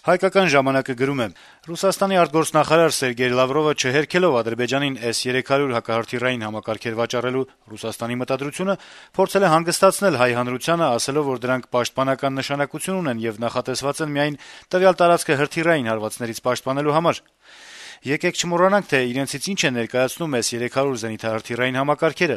Հայկական ժամանակը գրում է. - «Ռուսաստանի արտգործնախարար Սերգեյ Լավրովը չհերքելով Ադրբեջանին S-300 հակահրթիռային համակարգեր վաճառելու Ռուսաստանի մտադրությունը, փորձել է հանգստացնել հայ հանրությանը, ասելով, որ դրանք պաշտպանական նշանակություն ունեն եւ նախատեսված են միայն տվյալ տարածքը հրթիռային հարվածներից պաշտպանելու համար։ Եկեք չմոռանանք, թե իրենցից ինչ է ներկայացնում S-300 զենիթահրթիռային համակարգերը։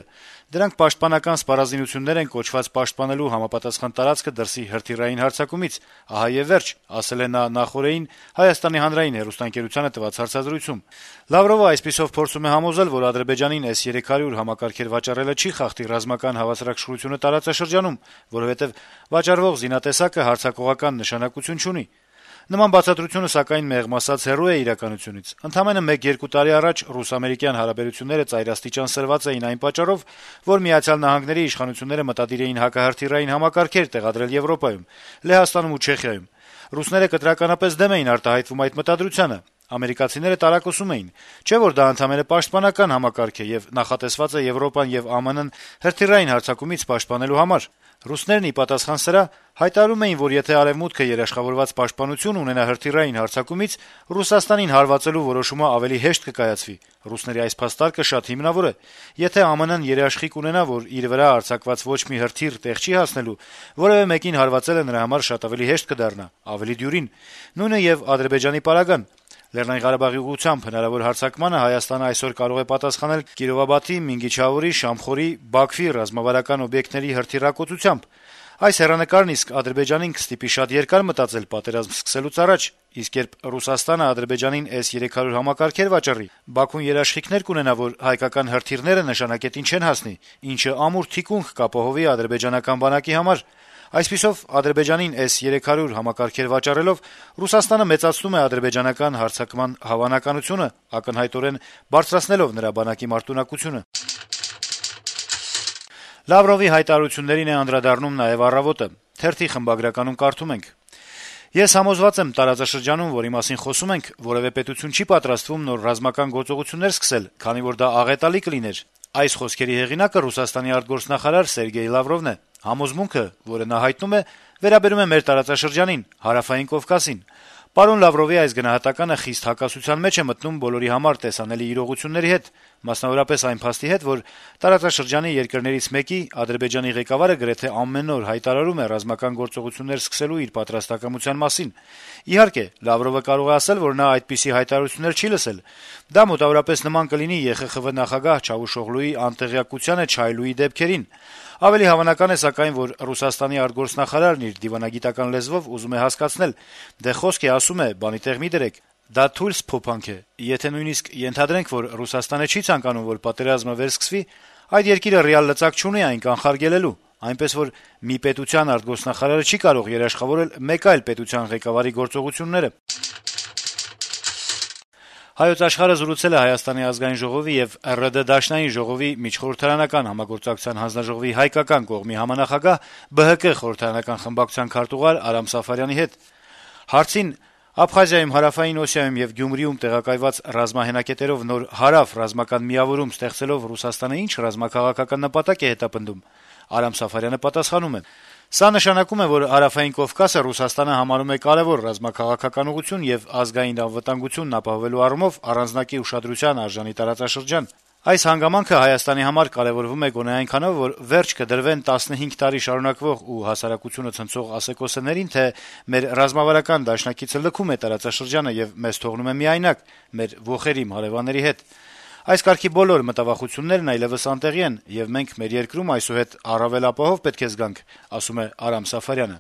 Դրանք պաշտպանական սպառազինություններ են կոչված պաշտպանելու համապատասխան տարածքը դրսի հրթիռային հարձակումից, ահա եւ վերջ», ասել է նա նախօրեին Հայաստանի հանրային հեռուստաընկերությանը տված հարցազրույցում։ Լավրովը այսպիսով փորձում է համոզել, որ Ադրբեջանին S-300 համակարգեր վաճառելը չի խախտի ռազմական հավասարակշռությունը տարածաշրջանում, որովհետեւ վաճառվող զինատեսակը հարձակողական նշանակություն չունի։ Նման բացատրությունը, սակայն, մեղմ ասած, հեռու է իրականությունից։ Ընդամենը 1-2 տարի առաջ ռուս-ամերիկյան հարաբերությունները ծայրաստիճան սրված էին այն պատճառով, որ Միացյալ Նահանգների իշխանությունները մտադիր էին հակահրթիռային համակարգեր տեղադրել Եվրոպայում, Լեհաստանում ու Չեխիայում։ Ռուսները կտրականապես դեմ էին արտահայտվում այդ մտադրությանը։ Ամերիկացիները տարակուսում էին, չէ՞ որ դա ընդամենը պաշտպանական համակարգ է եւ նախատեսված է Եվրոպան եւ ԱՄՆ-ն հրթիռային հարձակումից պաշտպանելու համար։ Ռուսներն ի պատասխան սրա հայտարարում էին, որ եթե Արեւմուտքը երաշխավորված պաշտպանություն ունենա հրթիռային հարձակումից, Ռուսաստանին հարվածելու որոշումը ավելի հեշտ կկայացվի։ Ռուսների այս փաստարկը շատ հիմնավոր է։ Եթե ԱՄՆ-ն երաշխիք ունենա, որ իր վրա արձակված ոչ մի հրթիռ տեղ չի հասնելու, որեւէ մեկին հարվածելը նրա համար շատ ավելի հեշտ կդառնա, ավելի դյուրին։ Նույնը եւ Ադրբեջանի պարագան։ Լեռնային Ղարաբաղի ուղղությամբ հնարավոր հարձակմանը Հայաստանը այսօր կարող է պատասխանել Կիրովաբադի, Մինգիչաուրի, Շամխորի, Բաքվի ռազմավարական օբյեկտների հրթիռակոծությամբ։ Այս հեռանկարն իսկ Ադրբեջանին կստիպի շատ երկար մտածել պատերազմ սկսելուց առաջ, իսկ երբ Ռուսաստանը Ադրբեջանին S-300 համակարգեր վաճառի, Բաքուն երաշխիքներ կունենա, որ հայկական հրթիռները նշանակետին չեն հասնի, ինչը ամուր թիկունք կապահովի ադրբեջանական բանակի համար։ Այսպիսով, Ադրբեջանին S-300 համակարգեր վաճառելով Ռուսաստանը մեծացնում է ադրբեջանական հարձակման հավանականությունը, ակնհայտորեն բարձրացնելով նրա բանակի մարտունակությունը»։ Լավրովի հայտարարություններին է անդրադառնում նաեւ «Առավոտը»։ Թերթի խմբագրականում կարդում ենք. - «Ես համոզված եմ, տարածաշրջանում, որի մասին խոսում ենք, որեւէ պետություն չի պատրաստվում նոր ռազմական գործողություններ սկսել, քանի որ դա աղետալի կլիներ։ Այս խոսքերի հեղինակը Ռուսաստանի արտգործնախարար Սերգեյ Լավրովն է։ Համոզմունքը, որը նա հայտնում է, վերաբերում է մեր տարածաշրջանին, Հարավային Կովկասին։ Պարոն Լավրովի այս գնահատականը խիստ հակասության մեջ է մտնում բոլորի համար տեսանելի իրողությունների հետ, մասնավորապես այն փաստի հետ, որ տարածաշրջանի երկրներից մեկի Ադրբեջանի ղեկավարը գրեթե ամեն օր հայտարարում է ռազմական գործողություններ սկսելու իր պատրաստակամության մասին։ Իհարկե, Լավրովը կարող է ասել, որ նա այդպիսի հայտարարություններ չի լսել։ Դա մոտավորապես նման կլինի ԵԽԽՎ նախագահ Չավուշօղլուի անտեղյակությանը չայլուի դեպքերին։ Ավելի հավանական է, սակայն, որ Ռուսաստանի արտգործնախարարն իր դիվանագիտական լեզվով ուզում է հասկացնել. դե խոսք է, ասում է, բանի տեղ մի դրեք։ Դա թույլ սփոփանք է։ Եթե նույնիսկ ենթադրենք, որ Ռուսաստանը չի ցանկանում, որ պատերազմը վերսկսվի, այդ երկիրը ռեալ լծակ չունի այն կանխարգելելու։ Այնպես որ մի պետության արտգործնախարարը չի կարող երաշխավորել մեկ այլ պետության ղեկավարի գործողությունները»։ Հայոց Աշխարհը զրուցել է Հայաստանի ազգային ժողովի եւ ՌԴ Դաշնային ժողովի միջխորհրդարանական համագործակցության հանձնաժողովի հայկական կողմի համանախագահ ԲՀԿ խորհրդարանական խմբակցության քարտուղար Արամ Սաֆարյանի հետ։ Հարցին Աբխազիայում, Հարավային Օսիայում եւ Գյումրիում տեղակայված ռազմահենակետերով նոր հարավ ռազմական միավորում ստեղծելով Ռուսաստանը ինչ ռազմաքաղաքական նպատակ է հետապնդում, Արամ Սաֆարյանը պատասխանում է. «Սա նշանակում է, որ Հարավային Կովկասը Ռուսաստանը համարում է կարեւոր ռազմաքաղաքական ուղղություն եւ ազգային անվտանգությունն ապահովելու առումով առանձնակի ուշադրության արժանի տարածաշրջան։ Այս հանգամանքը Հայաստանի համար կարեւորվում է գոնե այնքանով, որ վերջ կդրվեն 15 տարի շարունակվող ու հասարակությունը ցնցող ասեկոսներին, թե մեր ռազմավարական դաշնակիցը լքում է տարածաշրջանը եւ մեզ թողնում է միայնակ մեր ոխերիմ հարեւանների հետ։ Այս կարգի բոլոր մտավախություններն այլեւս անտեղի են, եւ մենք մեր երկրում այսուհետ առավել ապահով պետք է զգանք», ասում է Արամ Սաֆարյանը։